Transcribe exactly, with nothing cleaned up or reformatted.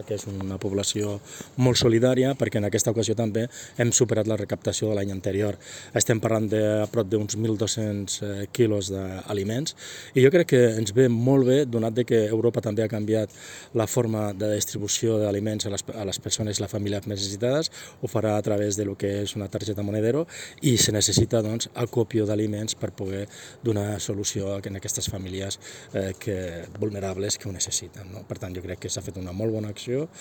que és una població molt solidària, perquè en aquesta ocasió també hem superat la recaptació de l'any anterior. Estem parlant de a prop d'uns mil dos-cents quilos d'aliments i jo crec que ens ve molt bé, donat que Europa també ha canviat la forma de distribució d'aliments a les, a les persones i les famílies més necessitades, ho farà a través de lo que és una targeta Monedero i se necessita doncs, acopio d'aliments per poder donar solució a aquestes famílies eh, que, vulnerables que ho necessiten. No? Per tant, jo crec que s'ha fet una molt bona acció.